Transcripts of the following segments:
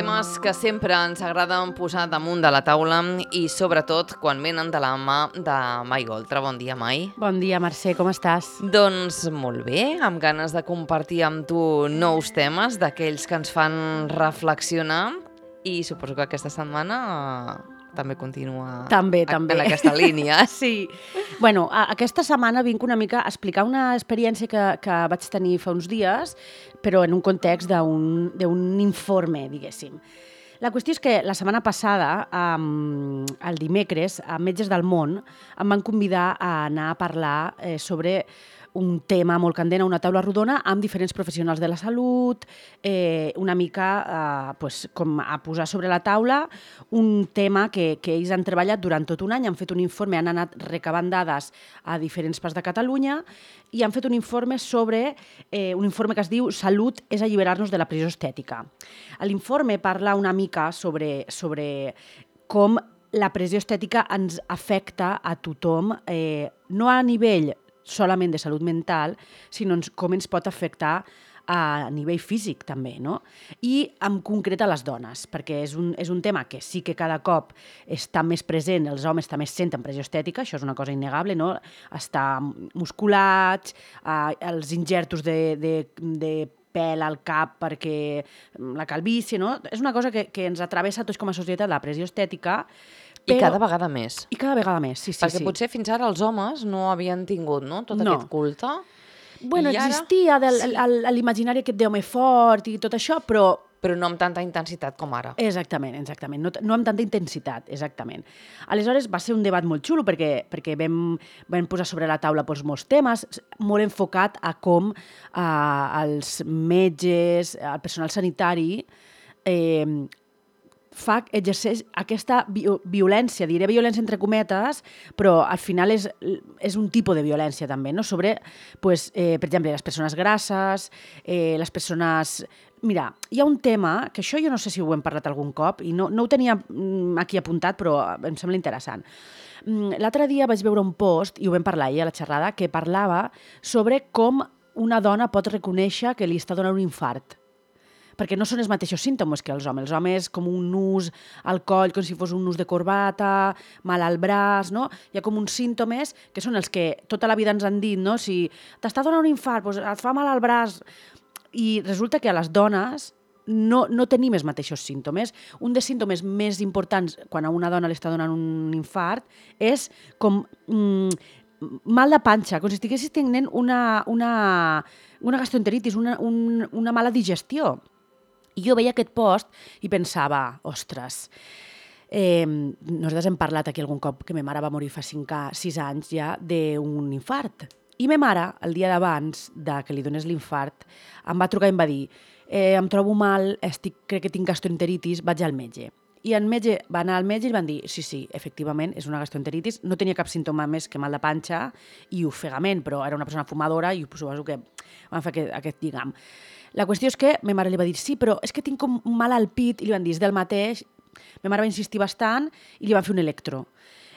temes que sempre ens agraden posar damunt de la taula i sobretot quan venen de la mà de Mai Goltra. Bon dia, Mai. Bon dia, Mercè, com estàs? Doncs molt bé, amb ganes de compartir amb tu nous temes, d'aquells que ens fan reflexionar, i suposo que aquesta setmana també continua També. en aquesta línia. Sí. Bueno, aquesta setmana vinc una mica a explicar una experiència que vaig tenir fa uns dies, però en un context d'un informe, diguéssim. La qüestió és que la setmana passada, el dimecres, a Metges del Món, em van convidar a anar a parlar sobre un tema molt candent a una taula rodona amb diferents professionals de la salut, una mica com a posar sobre la taula un tema que ells han treballat durant tot un any, han fet un informe, han anat recabant dades a diferents parts de Catalunya i han fet un informe un informe que es diu Salut és alliberar-nos de la pressió estètica. L'informe parla una mica sobre com la pressió estètica ens afecta a tothom, no a nivell solament de salut mental, sinó com ens pot afectar a nivell físic també, no? I en concret a les dones, perquè és un tema que sí que cada cop està més present, els homes també senten pressió estètica, això és una cosa innegable, no? Estar musculats, els injertos de pèl al cap perquè la calvície, no? És una cosa que ens atravessa tots com a societat, la pressió estètica. I cada vegada més. I cada vegada més, sí. Perquè potser fins ara els homes no havien tingut, no?, tot aquest culte. Bueno, existia l'imaginari aquest d'home fort i tot això, però no amb tanta intensitat com ara. Exactament. No amb tanta intensitat, exactament. Aleshores, va ser un debat molt xulo perquè vam posar sobre la taula molts temes, molt enfocat a com els metges, el personal sanitari, exerceix aquesta violència, diré violència entre cometes, però al final és un tipus de violència també, no? Sobre, per exemple, les persones grasses, les persones... Mira, hi ha un tema, que això jo no sé si ho hem parlat algun cop, i no ho tenia aquí apuntat, però em sembla interessant. L'altre dia vaig veure un post, i ho vam parlar ahir a la xerrada, que parlava sobre com una dona pot reconèixer que li està donant un infart. Perquè no són els mateixos símptomes que els homes. Els homes com un nus al coll, com si fos un nus de corbata, mal al braç, no? Hi ha com uns símptomes que són els que tota la vida ens han dit, no? Si t'està donant un infart, doncs et fa mal al braç. I resulta que a les dones no tenim els mateixos símptomes. Un dels símptomes més importants quan a una dona li està donant un infart és com mal de panxa, com si estiguessis tenint una gastroenteritis, una mala digestió. I jo veia aquest post i pensava, ostres, nosaltres hem parlat aquí algun cop que ma mare va morir fa 6 anys ja d'un infart. I ma mare, el dia d'abans que li donés l'infart, em va trucar i em va dir em trobo mal, crec que tinc gastroenteritis, vaig al metge. I el metge va anar al metge i van dir sí, efectivament, és una gastroenteritis, no tenia cap símptoma més que mal de panxa i ofegament, però era una persona fumadora i suposo que van fer aquest lligam. La qüestió és que ma mare li va dir sí, però és que tinc com mal al pit, i li van dir és del mateix. Ma mare va insistir bastant i li van fer un electro.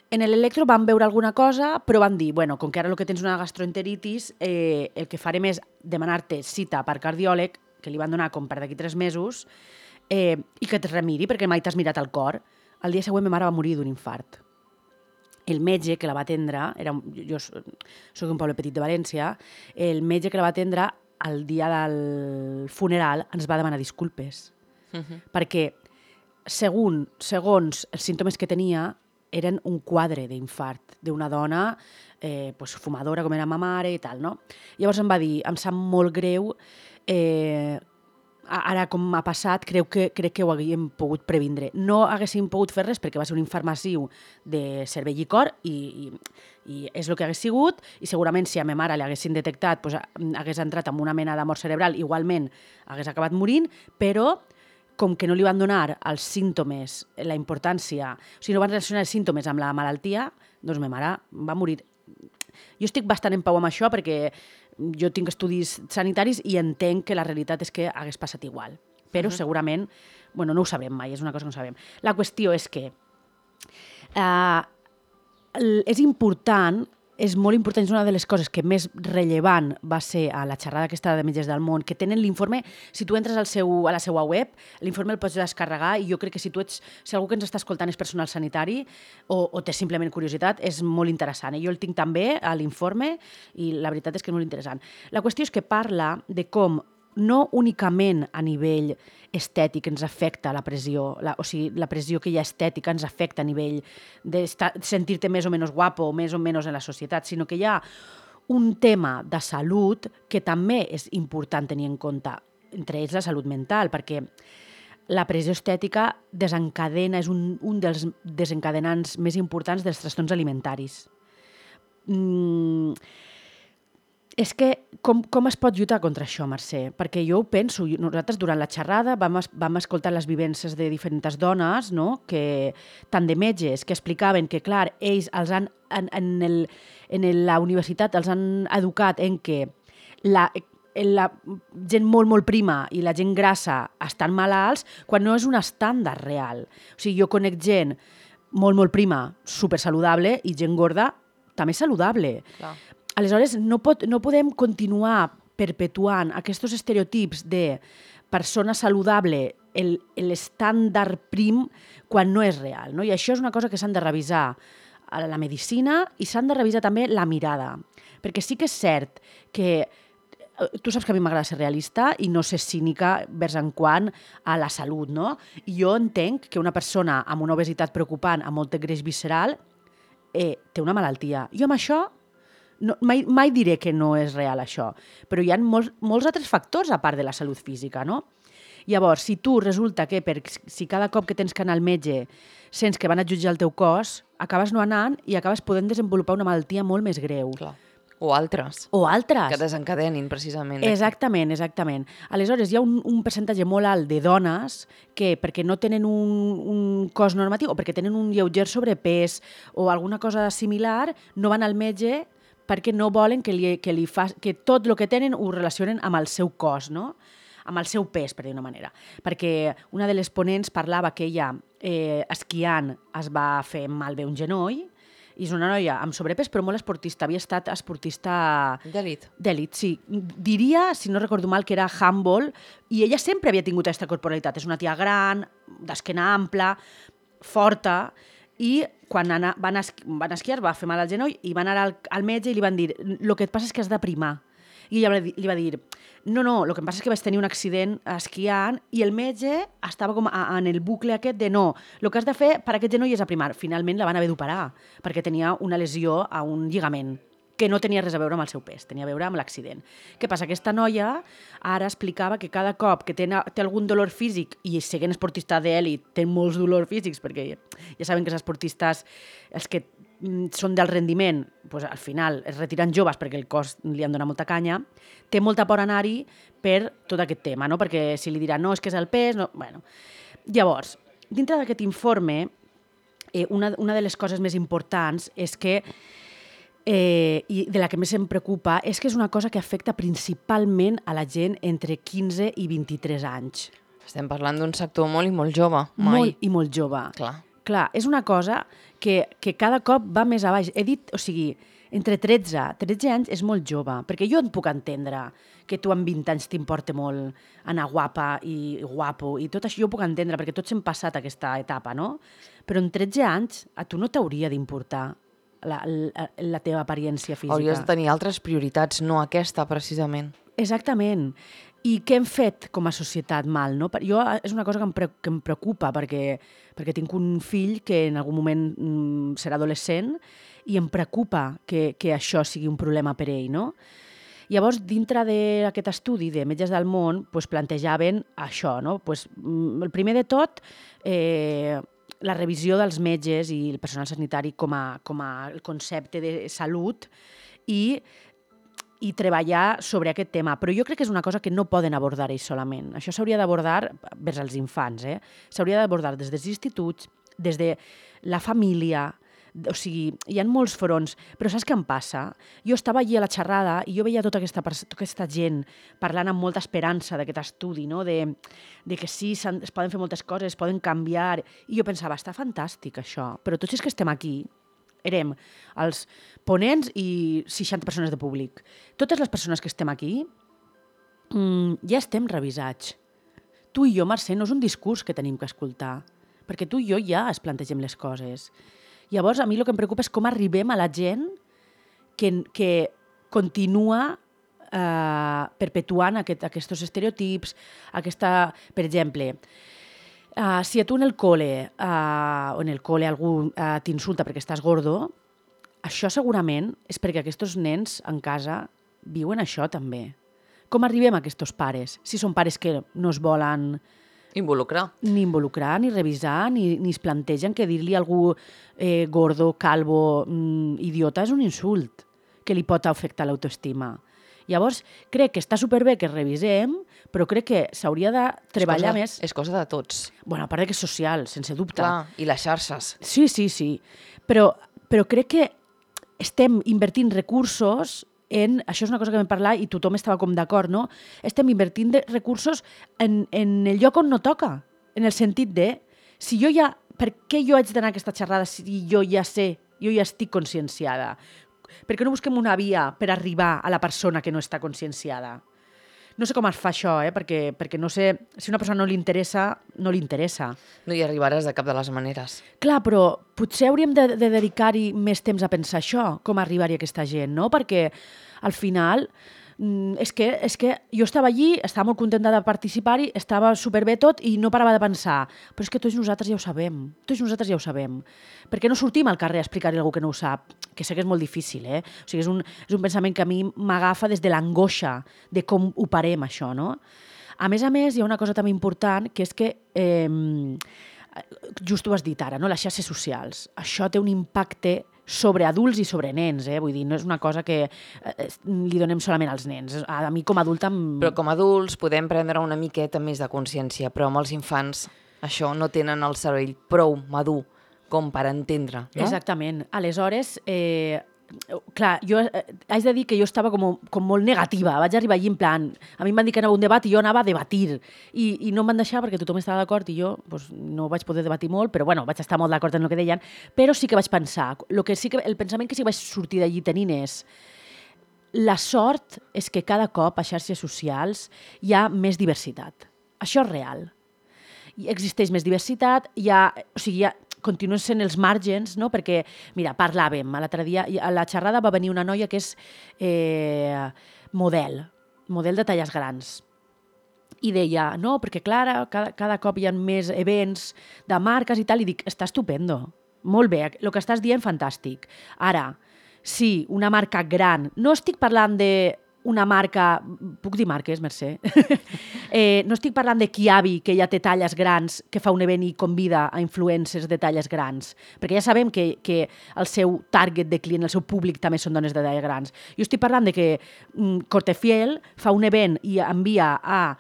En l'electro van veure alguna cosa, però van dir, bueno, com que ara el que tens una gastroenteritis, el que farem és demanar-te cita per cardiòleg, que li van donar com per d'aquí 3 mesos, i que et remiri, perquè mai t'has mirat el cor. El dia següent ma mare va morir d'un infart. El metge que la va atendre, jo soc d'un poble petit de València, el metge que la va atendre el dia del funeral ens va demanar disculpes. Perquè segons els símptomes que tenia eren un quadre d'infart d'una dona fumadora com era ma mare i tal, no? Llavors em va dir, em sap molt greu, ara com m'ha passat, crec que ho haguéssim pogut previndre. No haguéssim pogut fer res perquè va ser un infart massiu de cervell i cor i és el que hagués sigut, i segurament si a ma mare li haguessin detectat hagués entrat en una mena de mort cerebral, igualment hagués acabat morint, però com que no li van donar els símptomes, la importància, o sigui, no van relacionar els símptomes amb la malaltia, doncs ma mare va morir. Jo estic bastant en pau amb això perquè jo tinc estudis sanitaris i entenc que la realitat és que hagués passat igual. Però segurament, no ho sabrem mai, és una cosa que no sabem. La qüestió és que és important és molt important, és una de les coses que més rellevant va ser a la xerrada aquesta de Metges del Món, que tenen l'informe, si tu entres a la seva web, l'informe el pots descarregar i jo crec que si algú que ens està escoltant és personal sanitari o té simplement curiositat, és molt interessant. Jo el tinc també a l'informe i la veritat és que és molt interessant. La qüestió és que parla de com no únicament a nivell estètic ens afecta la pressió, o sigui, la pressió que hi ha estètica ens afecta a nivell de sentir-te més o menys guapo o més o menys en la societat, sinó que hi ha un tema de salut que també és important tenir en compte, entre ells la salut mental, perquè la pressió estètica és un dels desencadenants més importants dels trastorns alimentaris. És que com es pot lluitar contra això, Mercè? Perquè jo ho penso, nosaltres durant la xerrada vam escoltar les vivències de diferents dones, no? Tant de metges, que explicaven que, clar, ells en la universitat els han educat en que la gent molt, molt prima i la gent grassa estan malalts quan no és un estàndard real. O sigui, jo conec gent molt, molt prima, supersaludable, i gent gorda també saludable. Clar. Aleshores, no podem continuar perpetuant aquests estereotips de persona saludable, l'estàndard prim, quan no és real. No? I això és una cosa que s'han de revisar a la medicina i s'han de revisar també la mirada. Perquè sí que és cert que tu saps que a mi m'agrada ser realista i no ser cínica vers en quant a la salut, no? I jo entenc que una persona amb una obesitat preocupant, amb molt greix visceral, té una malaltia. Jo amb això mai diré que no és real això, però hi ha molts altres factors a part de la salut física, no? Llavors, si tu resulta que si cada cop que tens que anar al metge sents que van a jutjar el teu cos, acabes no anant i acabes podent desenvolupar una malaltia molt més greu. Clar. O altres. Que desencadenin, precisament. Exactament. Aleshores, hi ha un percentatge molt alt de dones que, perquè no tenen un cos normatiu o perquè tenen un lleuger sobrepès o alguna cosa similar, no van al metge perquè no volen que tot el que tenen ho relacionen amb el seu cos, no? Amb el seu pes, per dir una manera. Perquè una de les ponents parlava que ella, esquiant, es va fer malbé un genoll, i és una noia amb sobrepès, però molt esportista. Havia estat esportista d'elit. D'elit, sí. Diria, si no recordo mal, que era handball, i ella sempre havia tingut aquesta corporalitat. És una tia gran, d'esquena ampla, forta, i quan van esquiar va fer mal al genoll i van anar al metge i li van dir el que et passa és que has de primar. I ella li va dir no, el que em passa és que vaig tenir un accident esquiant i el metge estava com en el bucle aquest de no, el que has de fer per aquest genoll és aprimar. Finalment la van haver d'operar perquè tenia una lesió a un lligament que no tenia res a veure amb el seu pes, tenia a veure amb l'accident. Què passa? Aquesta noia ara explicava que cada cop que té algun dolor físic, i sent esportista d'elit, té molts dolors físics, perquè ja saben que els esportistes, els que són del rendiment, doncs al final es retiren joves perquè el cos li han donat molta canya, té molta por anar-hi per tot aquest tema, no? Perquè si li diran no, és que és el pes... No. Bueno. Llavors, dintre d'aquest informe, una de les coses més importants és que i de la que més em preocupa és que és una cosa que afecta principalment a la gent entre 15 i 23 anys. Estem parlant d'un sector molt i molt jove. Molt i molt jove. Clar, és una cosa que cada cop va més a baix. He dit, o sigui, entre 13 anys és molt jove, perquè jo et puc entendre que tu amb 20 anys t'importa molt anar guapa i guapo i tot això jo ho puc entendre, perquè tots hem passat aquesta etapa, no? Però en 13 anys a tu no t'hauria d'importar la teva apariència física. Hauries de tenir altres prioritats, no aquesta, precisament. Exactament. I què hem fet com a societat mal, no? Jo és una cosa que em preocupa, perquè tinc un fill que en algun moment serà adolescent i em preocupa que això sigui un problema per ell, no? Llavors, dintre d'aquest estudi de Metges del Món, plantejaven això, no? El primer de tot, la revisió dels metges i el personal sanitari com a el concepte de salut i treballar sobre aquest tema. Però jo crec que és una cosa que no poden abordar ells solament. Això s'hauria d'abordar vers els infants. S'hauria d'abordar des dels instituts, des de la família. O sigui, hi ha molts fronts, però saps què em passa? Jo estava allí a la xerrada i jo veia tota aquesta gent parlant amb molta esperança d'aquest estudi, no? de que sí, es poden fer moltes coses, es poden canviar, i jo pensava, està fantàstic això, però tots els que estem aquí érem els ponents i 60 persones de públic. Totes les persones que estem aquí ja estem revisats. Tu i jo, Mercè, no és un discurs que tenim que escoltar, perquè tu i jo ja es plantegem les coses. Llavors, a mi el que em preocupa és com arribem a la gent que continua perpetuant aquests estereotips, per exemple, si a tu en el col·le algú t'insulta perquè estàs gordo, això segurament és perquè aquests nens en casa viuen això també. Com arribem a aquests pares? Si són pares que no es volen ni involucrar, ni revisar, ni es plantegen que dir-li a algú gordo, calvo, idiota és un insult que li pot afectar l'autoestima. Llavors, crec que està superbé que revisem, però crec que s'hauria de treballar més... És cosa de tots. Bueno, a part que és social, sense dubte. Clar, i les xarxes. Sí. Però crec que estem invertint recursos en... Això és una cosa que vam parlar i tothom estava com d'acord, no? Estem invertint recursos en el lloc on no toca. En el sentit de... Per què jo haig d'anar a aquesta xerrada si jo ja sé, jo ja estic conscienciada? Per què no busquem una via per arribar a la persona que no està conscienciada? No sé com es fa això, perquè no sé... Si una persona no li interessa, no li interessa. No hi arribaràs de cap de les maneres. Clar, però potser hauríem de dedicar-hi més temps a pensar això, com arribar-hi a aquesta gent, no? Perquè al final... És que jo estava allí, estava molt contenta de participar-hi, estava superbé tot i no parava de pensar, però és que tots nosaltres ja ho sabem. Per què no sortim al carrer a explicar-li a algú que no ho sap? Que sé que és molt difícil, O sigui, és un pensament que a mi m'agafa des de l'angoixa de com ho parem, això, no? A més, hi ha una cosa també important, que és que, just ho has dit ara, no? Les xarxes socials. Això té un impacte sobre adults i sobre nens, Vull dir, no és una cosa que li donem solament als nens. A mi com a adulta... Però com a adults podem prendre una miqueta més de consciència, però amb els infants això no tenen el cervell prou madur com per entendre, no? Exactament. Aleshores, clar, jo haig de dir que jo estava com molt negativa. Vaig arribar allí en plan... A mi em van dir que anava a un debat i jo anava a debatir. I no em van deixar perquè tothom estava d'acord i jo no vaig poder debatir molt, però bueno, vaig estar molt d'acord en el que deien. Però sí que vaig pensar. El pensament que sí que vaig sortir d'allí tenint és... La sort és que cada cop a xarxes socials hi ha més diversitat. Això és real. Existeix més diversitat, continuen sent els màrgens, no? Perquè, mira, parlàvem, l'altre dia, a la xerrada va venir una noia que és model de talles grans. I deia, no, perquè clar, cada cop hi ha més events de marques i tal, i dic, està estupendo, molt bé, el que estàs dient, fantàstic. Ara, sí, una marca gran, no estic parlant d'una marca, puc dir marques, Mercè? No estic parlant de Kiabi, que ja té talles grans, que fa un event i convida a influencers de talles grans, perquè ja sabem que el seu target de client, el seu públic també són dones de talles grans. Jo estic parlant de que Cortefiel fa un event i envia a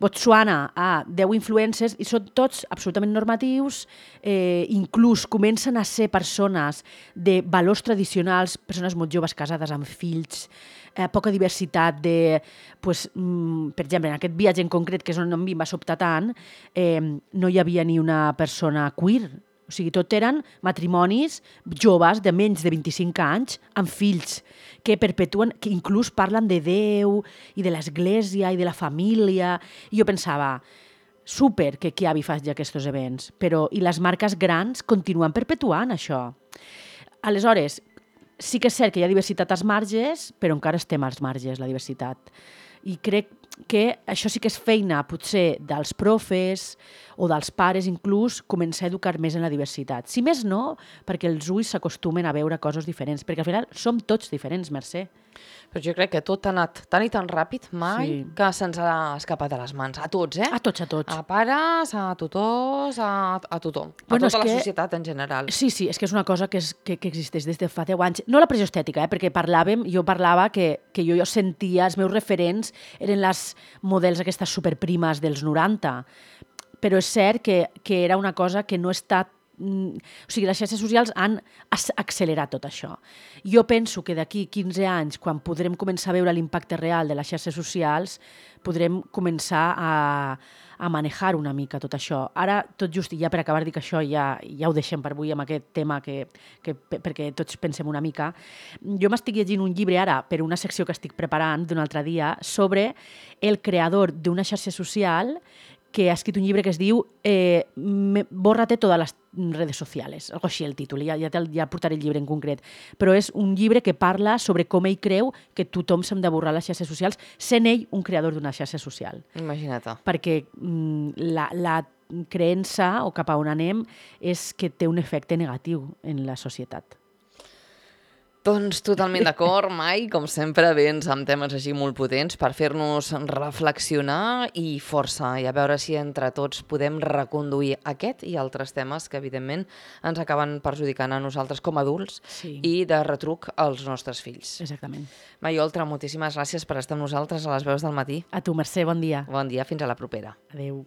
Botswana a 10 influencers i són tots absolutament normatius, inclús comencen a ser persones de valors tradicionals, persones molt joves casades amb fills, poca diversitat de... per exemple, en aquest viatge en concret, que és on a mi em va sobtar tant, no hi havia ni una persona queer. O sigui, tot eren matrimonis joves de menys de 25 anys amb fills que perpetuen, que inclús parlen de Déu i de l'Església i de la família. I jo pensava, super que Kiabi faci aquests events, però i les marques grans continuen perpetuant això. Aleshores, sí que és cert que hi ha diversitat als marges, però encara estem als marges, la diversitat. I crec que això sí que és feina, potser, dels profes o dels pares, inclús, començar a educar més en la diversitat. Si més no, perquè els ulls s'acostumen a veure coses diferents, perquè al final som tots diferents, Mercè. Però jo crec que tot ha anat tan i tan ràpid mai que se'ns ha escapat de les mans. A tots, A tots. A pares, a tutors, a tothom. A tota la societat en general. Sí, és que és una cosa que existeix des de fa 10 anys. No la pressió estètica, perquè jo parlava que jo sentia, els meus referents eren les models aquestes superprimes dels 90, però és cert que era una cosa que no està O sigui, les xarxes socials han accelerat tot això. Jo penso que d'aquí 15 anys, quan podrem començar a veure l'impacte real de les xarxes socials, podrem començar a manejar una mica tot això. Ara, tot just, i ja per acabar, dic això, ja ho deixem per avui amb aquest tema perquè tots pensem una mica. Jo m'estic llegint un llibre ara per una secció que estic preparant d'un altre dia sobre el creador d'una xarxa social que ha escrit un llibre que es diu Bórrate todas las redes sociales, algo així el títol, ja portaré el llibre en concret, però és un llibre que parla sobre com ell creu que tothom s'ha de borrar les xarxes socials, sent ell un creador d'una xarxa social. Imagina't. Perquè la creença, o cap a on anem, és que té un efecte negatiu en la societat. Doncs totalment d'acord, Mai, com sempre vens amb temes així molt potents per fer-nos reflexionar i força, i a veure si entre tots podem reconduir aquest i altres temes que evidentment ens acaben perjudicant a nosaltres com a adults i de retruc als nostres fills. Exactament. Mai Oltra, moltíssimes gràcies per estar amb nosaltres a les veus del matí. A tu, Mercè, bon dia. Bon dia, fins a la propera. Adéu.